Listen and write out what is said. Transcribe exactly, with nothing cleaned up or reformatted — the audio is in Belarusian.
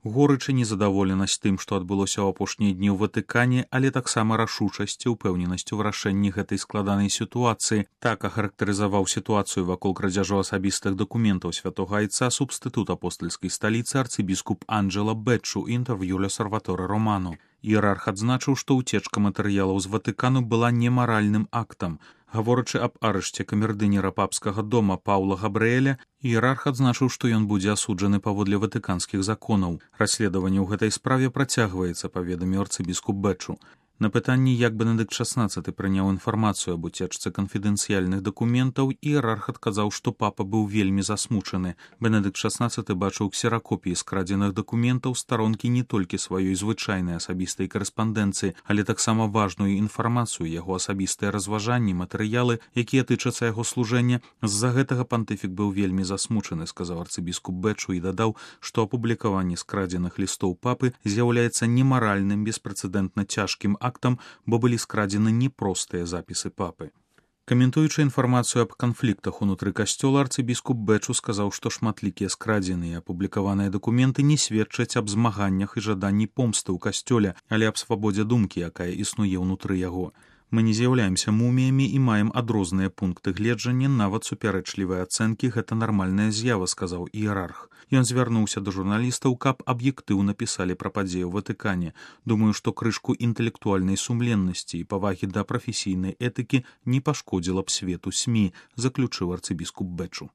Горыч і незадаволенасць тым, што адбылося ў апошнія дні ў Ватыкане, але таксама рашучасць і ўпэўненасць у вырашэнні гэтай складанай сітуацыі. Так ахарактарызаваў сітуацыю вакол крадзяжу асабістых дакументаў святога айца субстытут апостальскай сталіцы арцыбіскуп Анджела Бэчу інтэрв'ю Л'Осерваторе Романо. Іерарх адзначыў, што ўцечка матэрыялаў з Ватыкану была немаральным актам. Гаворачы аб арышце камердынера папскага дома Паўла Габрыэля, іерарх адзначыў, што ён будзе асуджаны паводле ватыканскіх законаў. Расследаванне ў гэтай справе працягваецца, паведаміў арцыбіскуп Бэчу. На пытанні, як Бенедыкт шаснаццаты прыняў інфармацыю аб уцечцы канфідэнцыяльных дакументаў, іерарх адказаў, што папа быў вельмі засмучаны. Бенедыкт шаснаццаты бачыў ксеракопіі скрадзеных дакументаў, старонкі не толькі сваёй звычайнай асабістай карэспандэнцыі, але таксама важную інфармацыю, яго асабістыя разважанні, матэрыялы, якія тычацца яго служэння. З-за гэтага пантыфік быў вельмі засмучаны, сказаў арцыбіскуп Бэчу і дадаў, што апублікаванне скрадзеных лістоў папы з'яўляецца немаральным, беспрэцэдэнтна цяжкім актам, бо былі скрадзены непростыя запісы папы. Каментуючы інфармацыю аб канфліктах унутры касцёла, арцыбіскуп Бэчу сказаў, што шматлікія скрадзеныя і апублікаваныя дакументы не сведчаць аб змаганнях і жаданні помсты ў касцёле, але аб свабодзе думкі, якая існуе ўнутры яго. Мы не з'яўляемся муміямі і маем адрозныя пункты гледжання, нават супярэчлівыя ацэнкі — гэта нармальная з'ява, сказаў іерарх. Ён звярнуўся да журналістаў, каб аб'ектыўна пісалі пра падзеі ў Ватыкане. Думаю, што крышку інтэлектуальнай сумленнасці і павагі да прафесійнай этыкі не пашкодзіла б свету СМІ, заключыў арцыбіскуп Бэчу.